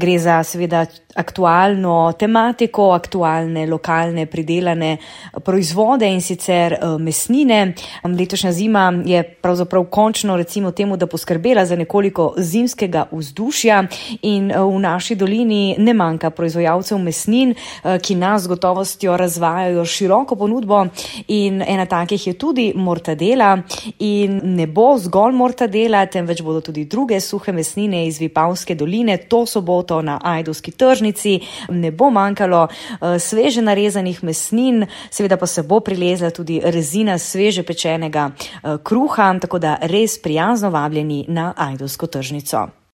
Gre za seveda aktualno tematiko, aktualne lokalne pridelane proizvode in sicer mesnine. Letošnja zima je pravzaprav končno recimo temu, da poskrbela za nekoliko zimskega vzdušja in v naši dolini ne manjka proizvajalcev mesnin, ki nas z gotovostjo razvajajo široko ponudbo in ena takih je tudi mortadela in ne bo zgolj mortadela, temveč bodo tudi druge suhe mesnine iz Vipavske doline. To soboto na ajdovski tržnici ne bo manjkalo sveže narezanih mesnin, seveda pa se bo prilezla tudi rezina sveže pečenega kruha, tako da res prijazno vabljeni na ajdovsko tržnico.